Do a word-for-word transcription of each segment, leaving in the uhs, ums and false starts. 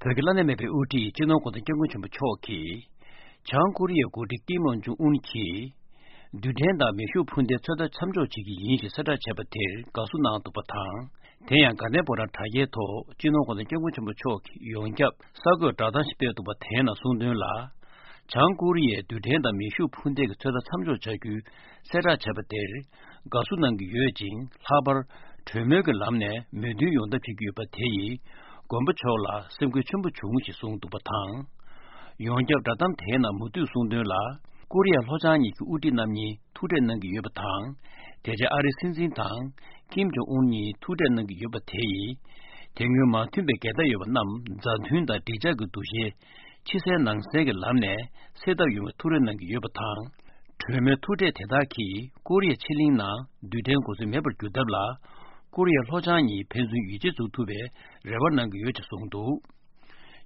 བོད་ཀྱི་བླ་ན་མེད་པའི་དབུ་ཁྲིད་སྤྱི་ནོར་གོང་ས་སྐྱབས་མགོན་ཆེན་པོ་མཆོག་གིས། བྱང་ཀོ་རི་ཡའི་འགོ་ཁྲིད་ཀིམ་ཡོང་ཇུང་ཨུན་གྱིས། རྡུལ་ཕྲན་དང་མེ་ཤུགས་འཕུར་མདེལ་ཚོད་ལྟ་མཚམས་འཇོག་བྱེད་ཀྱི་ཡིན་ཞེས་གསལ་བསྒྲགས་བྱས་པ་དེར་དགའ་བསུ་གནང་འདུག་པ་དང་། དེ་ཡང་དགའ་ལྡན་ཕོ་བྲང་དྲ་རྒྱའི་ཐོག་སྤྱི་ནོར་གོང་ས་སྐྱབས་མགོན་ཆེན་པོ་མཆོག་གིས་ཡོངས་ཁྱབ་གསར་འགོད་བསྒྲགས་གཏམ་ཞིག་སྤེལ་འདུག་པ་དེའི་ནང་གསུངས་དོན་ལ། བྱང་ཀོ་རི་ཡས་རྡུལ་ཕྲན་དང་མེ་ཤུགས་འཕུར་མདེལ་གྱི་ཚོད་ལྟ་མཚམས་འཇོག་བྱ་རྒྱུའི་གསལ་བསྒྲགས་བྱས་པ་དེར། དགའ་བསུ་གནང་གི་ཡོད་ཅིང་། ལྷག་པར་གྲོས་མོལ་གྱི་ལམ་ནས་མོས་མཐུན་ཡོང་ཐབས་བྱེད་ཀྱི་ཡོད་པ་དེ་ཡིས། མགོན་པོ་མཆོག་ལ་སེམས་འགུལ་ཆེན་པོ་བྱུང་ཞེས་གསུངས་འདུག་པ་དང་། ཡོངས་ཁྱབ་བསྒྲགས་གཏམ་དེའི་ནང་མུ་མཐུད་གསུངས་དོན་ལ། ཀོ་རི་ཡ་ལྷོ་བྱང་གཉིས་ཀྱི་དབུ་ཁྲིད་རྣམ་གཉིས་ཐུག་འཕྲད་གནང་གི་ཡོད་པ་དང་། དེ་རྗེས་ཨ་རིའི་སྲིད་འཛིན་དང་། ཀིམ་ཇོང་ཨུན་གཉིས་ཐུག་འཕྲད་གནང་གི་ཡོད་པ་དེ་ཡིས། དེ་སྔོན་མ་མཐུན་པའི་འགལ་ཟླ་ཡོད་པ་རྣམས་མཛའ་མཐུན་དང་འགྲིག་འཇགས་ཀྱི་འདུ་ཤེས། ཕྱི་གསལ་ནང་གསལ་གྱི་ལམ་ནས་སེལ་ཐབས་ཡོང་བའི་ཐུགས་རེ་གནང་གི་ཡོད་པ་དང་། གྲོས་མོལ་ཐུག་འཕྲད་དེ་དག་གིས་ཀོ་རི་ཡ་ཕྱེད་གླིང་ནང་རྡུལ་ཕྲན་འགོ་ཚུགས་མེད་པར་གྱུར་ཐབས་ལ། ཀོ་རི་ཡ་ལྷོ་བྱང་གཉིས་ཕན་ཚུན་ཡིད་ཆེས་འཛུགས་ཐུབ་པའི་རེ་བ་གནང་གི་ཡོད་ཅེས་གསུངས་འདུག་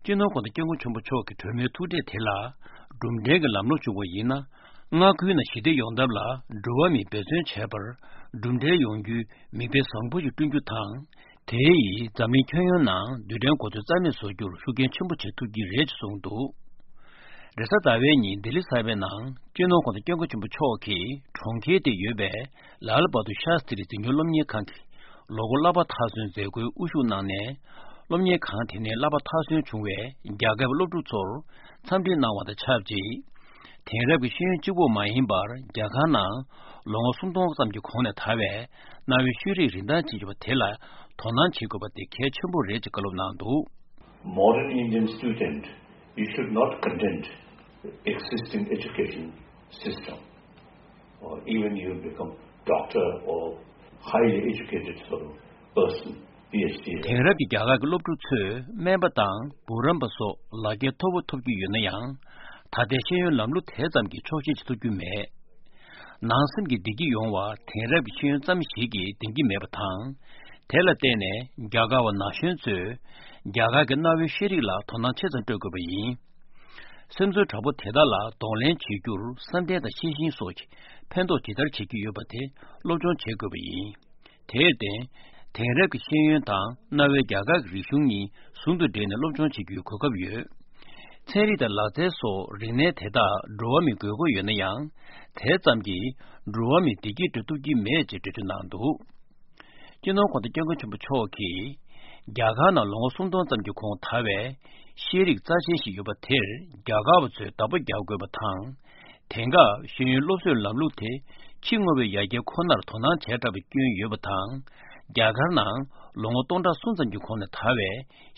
སྤྱི་ནོར་གོང་ས་སྐྱབས་མགོན་ཆེན་པོ་མཆོག་གི་གྲོས་མོལ་ཐུག་འཕྲད་དེ་ལ། གྲུབ་འབྲས་ཀྱི་ལམ་ལྷོང་བྱུང་བ་ཡིན་ན། མངའ་ཁུལ་ནང་ཞི་བདེ་ཡོང་ཐབས་ལ་འགྲོ་བ་མིས་འབད་བརྩོན་བྱས་པར་གྲུབ་འབྲས་ཡོང་རྒྱུའི་མིག་དཔེ་བཟང་པོ་ཞིག་བསྐྲུན་རྒྱུ་དང་། དེ་ཡིས་འཛམ་གླིང་ཁྱོན་ཡོངས་ནང་རྡུལ་ཕྲན་འགོ་ཚུགས་རྩ་མེད་བཟོ་རྒྱུར་ཤུགས་རྐྱེན་ཆེན་པོ་བྱེད་ཐུབ་ཀྱི་རེད་ཅེས་གསུངས་འདུག་རེས་གཟའ་ཟླ་བའི་ཉིན་ལྡི་ལི་གསར་པའི་ནང་སྤྱི་ནོར་གོང་ས་སྐྱབས་མགོན་ཆེན་པོ་མཆོག་གིས་གྲོང་ཁྱེར་དེར་ཡོད་པའི་ལཱལ་བྷ་དུར་ཤཱ་སྟྲི་འཛིན་སྐྱོང་སློབ་གཉེར་ཁང་གི་ལོ་འཁོར་བསླབ་པ་མཐར་སོན་མཛད་སྒོའི་དབུ་བཞུགས་གནང་ནས། སློབ་གཉེར་ཁང་དེ་ནས་བསླབ་པ་མཐར་སོན་བྱུང་བའི་རྒྱ་གར་བའི་སློབ་ཕྲུག་ཚོར་འཚམས་འདྲི་གནང་བ་དང་ཆབས་ཅིག་དེང་རབས་ཀྱི་ཤེས་ཡོན་གཅིག་པོ་མ་ཡིན་པར། རྒྱ་གར་ནང་ལོ་ངོ་སུམ་སྟོང་ཙམ་གྱི་གོང་ནས་དར་བའི་གནའ་བོའི་ཤེས་རིག་རིན་ཐང་ཅན་ཡོད་པ་དེ་ལ་དོ་སྣང་བྱེད་དགོས་པ་དེ་གལ་ཆེན་པོ་རེད་ཅེས་བཀའ་སློབ་གནང་འདུག Modern Indian student, you should not content existing education system, or even you become doctor or highly educated sort of person, P H D. དེང་རབས་ཀྱི་རྒྱ་གར་གྱི་སློབ་ཕྲུག་ཚོས་སྨན་པ་དང་འབུམ་རམས་པ་སོགས་ལག་འཁྱེར་མཐོ་པོ་ཐོབ་ཀྱི་ཡོད་ན་ཡང་། ད་ལྟའི་ཤེས་ཡོན་ལམ་ལུགས་དེ་ཙམ་གྱིས་ཆོག་ཤེས་ཀྱི་ཐུབ་རྒྱུ་མེད། ནང་སེམས་ཀྱི་བདེ་སྐྱིད་ཡོང་བར་དེང་རབས་ཀྱི་ཤེས་ཡོན་ཙམ་ཞིག་གིས་བདེན་གྱི་མེད་པ་དང་། དེ་ལ་བརྟེན་ནས་རྒྱ་གར་བ་ན་གཞོན་ཚོས་རྒྱ་གར་གྱི་གནའ་བོའི་ཤེས་རིག་ལ་དོ་སྣང་ཆེ་ཙམ་སྤྲོད་དགོས་པ་ཡིན། སེམས་ཚོར་དྲག་པོ་དེ་དག་ལ་གདོང་ལེན་བྱེད་རྒྱུར་བསམ་གཏན་དང་ཤེས་བཞིན་སོགས་ཀྱིས་ཕན་ཐོགས་ཇི་ལྟར་བྱེད་ཀྱི་ཡོད་པ་དེ་སློབ་སྦྱོང་བྱེད་དགོས་པ་ཡིན། དེར་བརྟེན། དེང་རབས་ཀྱི་ཤེས་ཡོན་དང་གནའ་བོའི་རྒྱ་གར་གྱི་རིག་གཞུང་གཉིས་ཟུང་དུ་འབྲེལ་ནས་སློབ་སྦྱོང་བྱེད་རྒྱུའི་གོ་སྐབས་ཡོད། ཚན་རིག་དང་ལག་རྩལ་སོགས་རིག་གནས་དེ་དག་འགྲོ་བ་མིས་དགོས་མཁོ་ཡོད་ན་ཡང་། དེ་ཙམ་གྱིས་འགྲོ་བ་མིའི་བདེ་སྐྱིད་སྤྲོད་ཐུབ་ཀྱི་མེད་ཅེས་འགྲེལ་བརྗོད་གནང་འདུག་སྤྱི་ནོར་གོང་ས་སྐྱབས་མགོན་ཆེན་པོ་མཆོག་གིས། རྒྱ་གར་ནང་ལོ་ངོ་སུམ་སྟོང་ཙམ་གྱི་གོང་དར་བའི་ཤེས་རིག་རྩ་ཆེན་ཞིག་ཡོད་པ་དེར་རྒྱ་གར་བ་ཚོས་བདག་པོ་རྒྱག་དགོས་པ་དང་། དེང་སྐབས་ཤེས་ཡོན་སློབ་གསོའི་ལམ་ལུགས་དེ་ཕྱི་དངོས་པོའི་ཡར་རྒྱས་ཁོ་ནར་དོ་སྣང་བྱས་དྲགས་པའི་སྐྱོན་ཡོད་པ་དང་། རྒྱ་གར་ནང་ལོ་ངོ་སྟོང་ཕྲག་གསུམ་ཙམ་གྱི་གོང་ནས་དར་བའི་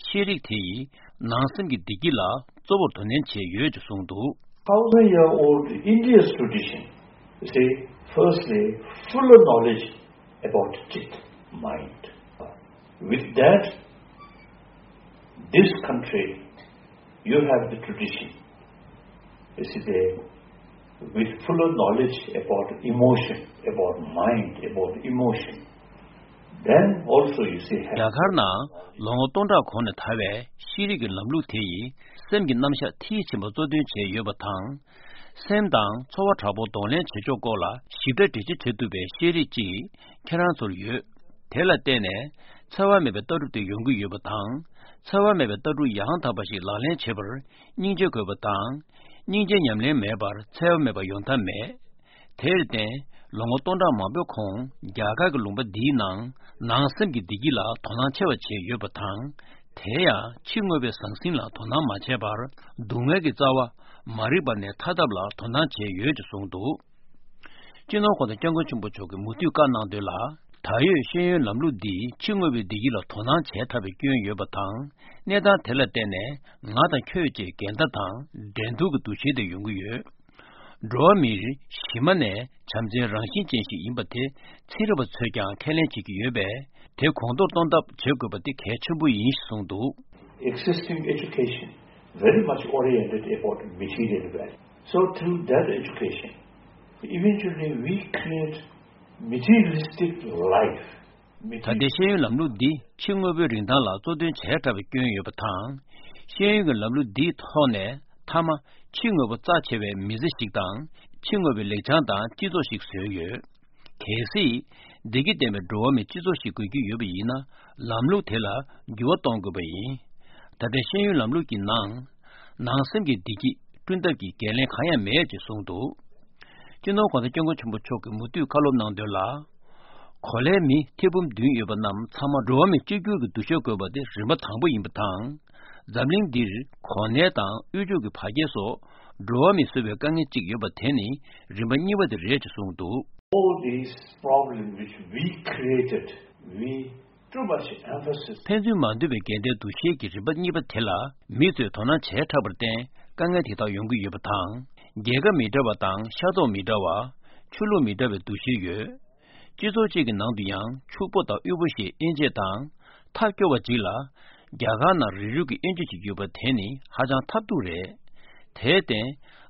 ཤེས་རིག་དེ་ཡིས་ནང་སེམས་ཀྱི་བདེ་སྐྱིད་ལ་གཙོ་བོར་དོ་ནན་བྱས་ཡོད་ཅེས་གསུངས་འདུག Thousand year old India's tradition, you see, firstly, fuller knowledge about chit, mind. With that, this country, you have the tradition, you see, the, with fuller knowledge about emotion, about mind, about emotion. Then also, you see, have རྒྱ་གར་ནང་ལོ་ངོ་སྟོང་ཕྲག་གོང་ནས་དར་བའི་ཤེས་རིག་གི་ལམ་ལུགས་དེ་ཡིས་སེམས་ཀྱི་རྣམ་གཞག་མཐིལ་ཕྱིན་པ་གཙོ་འདོན་བྱས་ཡོད་པ་དང་། སེམས་དང་ཚོར་བ་དྲག་པོ་གདོང་ལེན་བྱེད་ཕྱོགས་སྐོར་ལ་ཞིབ་ཕྲ་འགྲེལ་བརྗོད་བྱེད་ཐུབ་པའི་ཤེས་རིག་ཅིག་ཁྱེད་རང་ཚོར་ཡོད། དེ་ལ་བརྟེན་ནས་འཚེ་བ་མེད་པའི་ལྟ་གྲུབ་དེ་ཡོང་གི་ཡོད་པ་དང་། འཚེ་བ་མེད་པའི་ལྟ་གྲུབ་ཡང་དག་པ་ཞིག་ལག་ལེན་བྱེད་པར་སྙིང་རྗེ་དགོས་པ་དང་། སྙིང་རྗེ་ཉམས་ལེན་མེད་པར་འཚེ་བ་མེད་པ་ཡོང་ཐབས་མེད། དེར་བརྟེན། ལོ་ངོ་སྟོང་ཕྲག་མང་པོའི་གོང་རྒྱ་གར་གྱི་ལུང་པ་འདིའི་ནང་ནང་སེམས་ཀྱི་བདེ་སྐྱིད་ལ་དོ་སྣང་ཆེ་བ་བྱས་ཡོད་པ་དང་། དེ་ཡང་ཕྱི་དངོས་པོའི་ཟང་ཟིང་ལ་དོ་སྣང་མ་བྱས་པར་སྡུག་བསྔལ་གྱི་རྩ་བ་མ་རིག་པ་ནས་ཐར་ཐབས་ལ་དོ་སྣང་བྱས་ཡོད་ཅེས་གསུངས་འདུག་སྤྱི་ནོར་གོང་ས་སྐྱབས་མགོན་ཆེན་པོ་མཆོག་གིས་མུ་མཐུད་བཀའ་གནང་དོན་ལ། ད་ཡོད་ཤེས་ཡོན་ལམ་ལུགས་འདིས་ཕྱི་དངོས་པོའི་བདེ་སྐྱིད་ལ་དོ་སྣང་བྱས་ཐུབ་པའི་སྐྱོན་ཡོད་པ་དང་། གནས་སྟངས་དེ་ལ་བརྟེན་ནས་ང་དང་ཁྱོད་ཅེས་འགལ་ཟླ་དང་འགྲན་བསྡུར་གྱི་འདུ་ཤེས་དེ་ཡོང་གི་ཡོད། འགྲོ་བ་མིར་གཞི་མ་ནས་བྱམས་བརྩེའི་རང་བཞིན་ཅན་ཞིག་ཡིན་པ་དེ་ཚན་རིག་པ་ཚོས་ཀྱང་ཁས་ལེན་བྱེད་ཀྱི་ཡོད་པས། དེ་གོང་མཐོར་གཏོང་ཐབས་བྱེད་དགོས་པ་དེ་གལ་ཆེན་པོ་ཡིན་ཞེས་གསུངས་འདུག Existing education very much oriented about material wealth. So through that education, eventually we create materialistic life. ད་ལྟའི་ཤེས་ཡོན་ལམ་ལུགས་འདི་ཕྱི་དངོས་པོའི་རིན་ཐང་ལ་གཙོ་འདོན་བྱས་དྲགས་པའི་སྐྱོན་ཡོད་པ་དང་། ཤེས་ཡོན་གྱི་ལམ་ལུགས་འདིའི་ཐོག་ནས་མཐའ་མ་ཕྱི་དངོས་པོ་རྩ་ཆེ་བའི་མི་ཚེ་ཞིག་དང་། ཕྱི་དངོས་པོའི་ལེགས་བྱང་དང་སྤྱི་ཚོགས་ཤིག་བཟོས་ཡོད། གལ་སྲིད། བདེ་སྐྱིད་ལྡན་པའི་འགྲོ་བ་མི་སྤྱི་ཚོགས་ཤིག་དགོས་ཀྱི་ཡོད་པ་ཡིན་ན། ལམ་ལུགས་དེ་ལ་འགྱུར་བ་གཏོང་དགོས་པ་ཡིན། ད་ ད་ལྟའི་ཤེས་ཡོན་ལམ་ལུགས་ཀྱི་ནང་། ནང་སེམས་ཀྱི་བདེ་སྐྱིད་བསྐྲུན་ཐབས་ཀྱི་འགན་ལེན་གང་ཡང་མེད་ཅེས་གསུངས་འདུག། སྤྱི་ནོར་༸གོང་ས་༸སྐྱབས་མགོན་ཆེན་པོ་མཆོག་གིས་མུ་མཐུད་བཀའ་སློབ་གནང་དོན་ལ། གོ་ལའི་མི་ཐེར་འབུམ་བདུན་ཡོད་པ་རྣམས་ཚང་མ་འགྲོ་བ་མི་གཅིག་གྱུར་གྱི་འདུ་ཤེས་དགོས་པ་དེ་རིམ་པ་དང་པོ་ཡིན་པ་དང་། འཛམ་གླིང་འདིར་གོ་གནས་དང་དབུལ་ཕྱུག་གི་བར་ཁྱད་སོགས་འགྲོ་བ་མིས་བཟོས་པའི་དཀའ་ངལ་གཅིག་ཡོད་པ་དེ་ནི་རིམ་པ་གཉིས་པ་དེ་རེད་ཅེས་གསུངས་འདུག། All these problems which we created, we too much emphasis. ཕན་ཚུན་མ་འདུས་པའི་འགལ་ཟླའི་འདུ་ཤེས་ཀྱི་རིམ་པ་གཉིས་པ་དེ་ལ་མི་ཚོས་དོ་སྣང་བྱས་དྲགས་པར་བརྟེན་དཀའ་ངལ་དེ་དག་ཡོང་གི་ཡོད་པ་དང་། རྒྱལ་ཁབ་མི་འདྲ་བ་དང་ཤ་ཚོགས་མི་འདྲ་བ། ཆོས་ལུགས་མི་འདྲ་བའི་འདུ་ཤེས་ཡོད། སྤྱི་ཚོགས་གཅིག་གི་ནང་དུ་ཡང་ཕྱུག་པོ་དང་དབུལ་པོ་ཞེས་དབྱེ་འབྱེད་དང་། ཐབས་སྐྱོ་བ་གཅིག་ལ། རྒྱ་གར་ནང་རིགས་རུས་ཀྱི་དབྱེ་འབྱེད་ཅིག་ཡོད་པ་དེ་ནི་ཧ་ཅང་ཐབས་སྡུག་རེད། དེར་བརྟེན།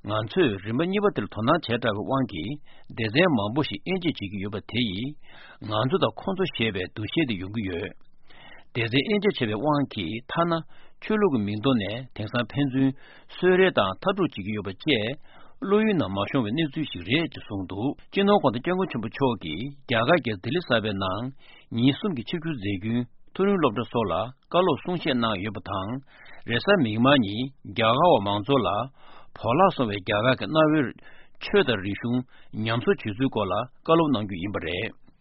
ང་ཚོས་རིམ་པ་གཉིས་པ་དེར་དོ་སྣང་བྱས་དྲགས་པའི་དབང་གིས་སྡེ་ཚན་མང་པོ་ཞིག་དབྱེ་འབྱེད་བྱེད་ཀྱི་ཡོད་པ་དེ་ཡིས། ང་ཚོ་དང་ཁོང་ཚོ་ཞེས་པའི་འདུ་ཤེས་དེ་ཡོང་གི་ཡོད། སྡེ་ཚན་དབྱེ་འབྱེད་བྱས་པའི་དབང་གིས་ཐ་ན་ཆོས་ལུགས་ཀྱི་མིང་ཐོག་ནས་དེང་སང་ཕན་ཚུན་གསོད་རེས་དང་མཐའ་དཀྲུག་བྱེད་ཀྱི་ཡོད་པ་བཅས་བློ་ཡུལ་ནང་མ་ཤོང་བའི་གནས་ཚུལ་ཞིག་རེད་ཅེས་གསུངས་འདུག། སྤྱི་ནོར་༸གོང་ས་༸སྐྱབས་མགོན་ཆེན་པོ་མཆོག་གིས་རྒྱ་གར་གྱི་ལྡི་ལི་གསར་པའི་ནང་ཉིན་གསུམ་གྱི་ཆིབས་བསྒྱུར་མཛད་རྒྱུན། མཐོ་རིམ་སློབ་གྲྭ་སོགས་ལ་བཀའ་སློབ་གསུང་བཤད་གནང་ཡོད་པ་དང་། རེས་གཟའ་མིག་དམར་ཉིན་རྒྱ་གར་བ་མང་ཚོགས་ལ་བོར་བརླག་སོང་བའི་རྒྱ་གར་གྱི་གནའ་བོའི་ཆོས་དང་རིག་གཞུང་ཉམས་གསོ་བྱེད་ཚུལ་སྐོར་ལ་བཀའ་སློབ་གནང་རྒྱུ་ཡིན་པ་རེད།